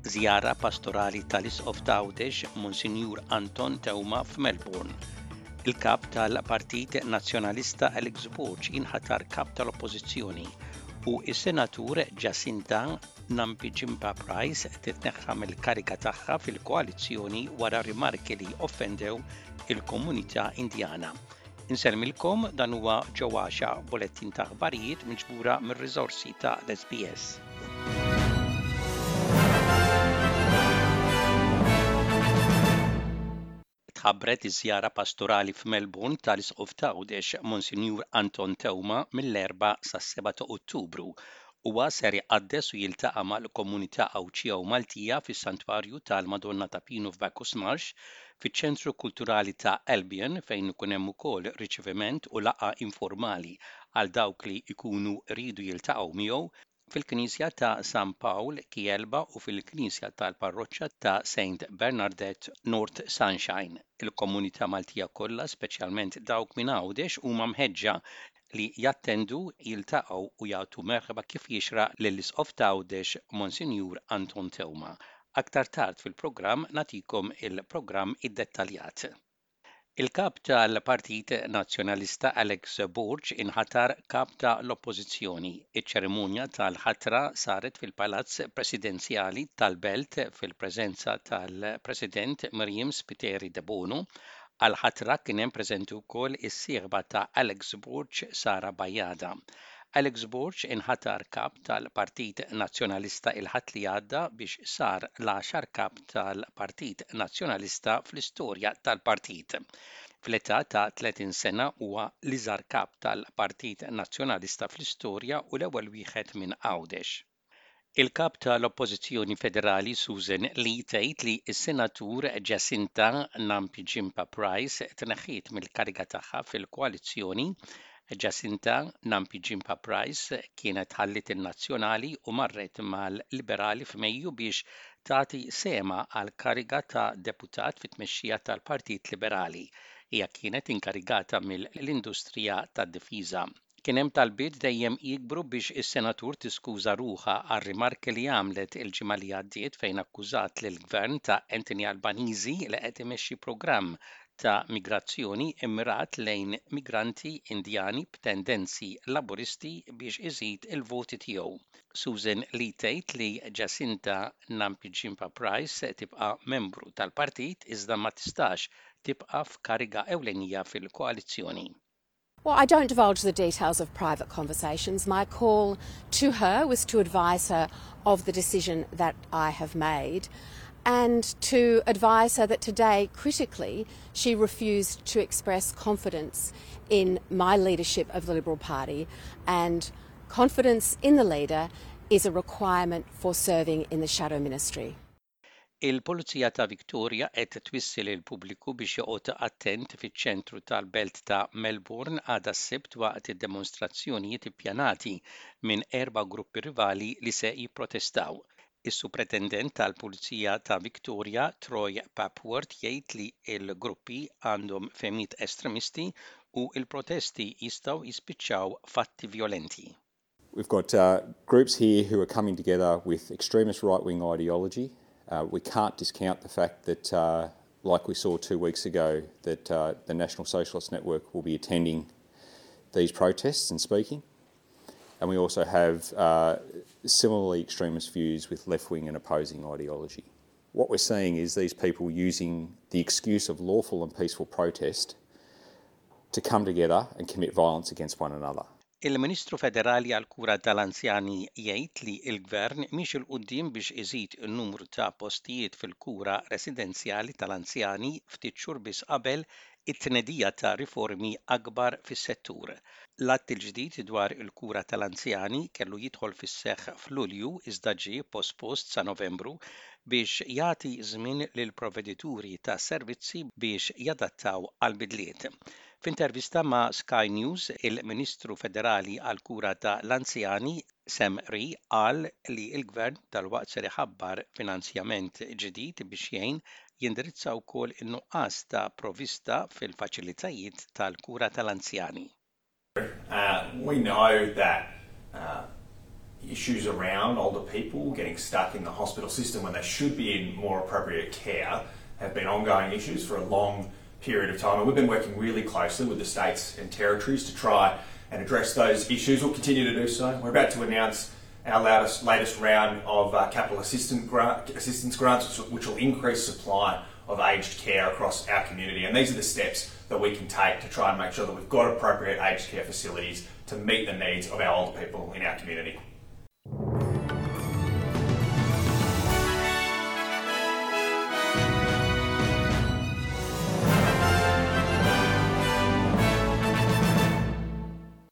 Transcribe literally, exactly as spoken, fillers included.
Żjara pastorali tal-Isqof t'Għawdex Monsinjur Anton Teuma f'Melbourne. Il-kap tal-Partit Nazzjonalista Alex Borg inħatar kap tal-Oppożizzjoni u s-Senatur Jacinta Nampijinpa Price titneħħa mill-kariga tagħha fil-koalizzjoni wara rimarki li offendew il-komunità Indjana. Insellmilkom dan huwa Joe Axiaq b'bulettin ta' aħbarijiet miġbura mir-riżorsi ta' l-SBS. Tħabbret iż-żjara pastorali f'Melbourne tal-Isqof t'Għawdex Monsinjur Anton Teuma mill-erbgħa sas-seba' ta' Ottubru. Huwa ser iqaddes u jiltaqa' mal-komunità Għawdxija u Maltija fis-Santwarju tal-Madonna ta' Pinu f'Bacchus Marsh, fiċ-Ċentru Kulturali ta' Albion fejn ikun hemm ukoll riċeviment u laqgħa informali għal dawk li jkunu riedu jiltaqgħu miegħu, fil-Knisja ta' San Pawl Kjelba u fil-Knisja tal-Parroċċa ta' Saint Bernadette North Sunshine. Il-komunità Maltija kollha, speċjalment dawk minn Għawdex, huma mħeġġa li jattendu, jiltaqgħu u jagħtu merħba kif jixraq lill-Isqof t'Għawdex Monsinjur Anton Teuma. Aktar tard fil-programm nagħtikom il-programm iddettaljat. Il-kap tal-Partit Nazzjonalista Alex Borg inħatar kap ta' l-Oppożizzjoni. Iċ-ċerimonja tal-ħatra saret fil-Palazz Presidenzjali tal-Belt fil-preżenza tal-President Myriam Spiteri Debono. Għall-ħatra kien hemm preżenti wkoll is-sieħba ta' Alex Borg Sara Bajada. Alex Borg inħatar kap tal-Partit Nazzjonalista il-Ħadd li għadda biex sar l-għaxar kap tal-Partit Nazzjonalista fl-istorja tal-partit. Fl-età ta' tletin sena huwa l-iżgħar kap tal-Partit Nazzjonalista fl-istorja u l-ewwel wieħed minn Għawdex. Il-kap tal-Oppożizzjoni Federali Susan Lee tgħid li s-Senatur Jacinta Nampijinpa Price tneħħiet mill-kariga tagħha fil-koalizzjoni. Jacinta Nampijinpa Price kienet ħalliet in-Nazzjonali u marret mal-Liberali f'Mejju biex tagħti sehemha għal kariga ta' deputat fit-tmexxija tal-Partit Liberali. Hija kienet inkarigata mill-industrija tad-difiża. Kien hemm talbiet dejjem jikbru biex is-senatur tiskuża ruħha għar-rimarki li għamlet il-ġimgħa li għaddiet fejn akkużat lill-gvern ta' Anthony Albanese li qed imexxi programm ta' migrazzjoni immirat lejn migranti Indjani b'tendenzi laburisti biex iżid il-voti tiegħu. Susan Lee tgħid li Jacinta Nampijinpa Price tibqa' membru tal-partit iżda ma tistax tibqa' f'kariga ewlenija fil-koalizzjoni. Well, I don't divulge the details of private conversations. My call to her was to advise her of the decision that I have made and to advise her that today, critically, she refused to express confidence in my leadership of the Liberal Party, and confidence in the leader is a requirement for serving in the shadow ministry. Il-Pulizija ta' Victoria qed twissi lill-pubbliku biex joqgħod attent fiċ-ċentru tal-belt ta' Melbourne għada s-Sibt waqt id-demonstrazzjonijiet ippjanati minn erba' gruppi rivali li se jipprotestaw. Is-Supretendent tal-Pulizija ta' Victoria, Troy Papworth, jgħid li l-gruppi għandhom fehmiet estremisti u l-protesti jistgħu jispiċċaw f'atti violenti. We've got uh, groups here who are coming together with extremist right-wing ideology. Uh, we can't discount the fact that, uh, like we saw two weeks ago, that uh, the National Socialist Network will be attending these protests and speaking. And we also have uh, similarly extremist views with left-wing and opposing ideology. What we're seeing is these people using the excuse of lawful and peaceful protest to come together and commit violence against one another. Il-Ministru Federali għall-Kura tal-Anzjani jgħid li l-Gvern miexi 'l quddiem biex iżid in-numru ta' postijiet fil-kura residenzjali tal-anzjani ftit xhur biss qabel it-tnedija ta' riformi akbar fis-settur. L-att il-ġdid dwar il-kura tal-anzjani kellu jidħol fis-seħħ f'Lulju iżda ġie pospost sa Novembru biex jagħti żmien lil provvedituri ta' servizzi biex jadattaw għal bidliet. F'intervista ma' Sky News, il-Ministru Federali għall-Kura ta' l-Anzjani Sam Ree qal li l-Gvern dalwaqt ser iħabbar finanzjament ġdid biex jgħin jindirizza wkoll in-nuqqas ta' provista fil-faċilitajiet tal-kura tal-anzjani. Uh, we know that uh, Issues around older people getting stuck in the hospital system when they should be in more appropriate care have been ongoing issues for a long period of time, and we've been working really closely with the states and territories to try and address those issues. We'll continue to do so. We're about to announce our latest, latest round of uh, capital assistance, grant, assistance grants, which will increase supply of aged care across our community. And these are the steps that we can take to try and make sure that we've got appropriate aged care facilities to meet the needs of our older people in our community.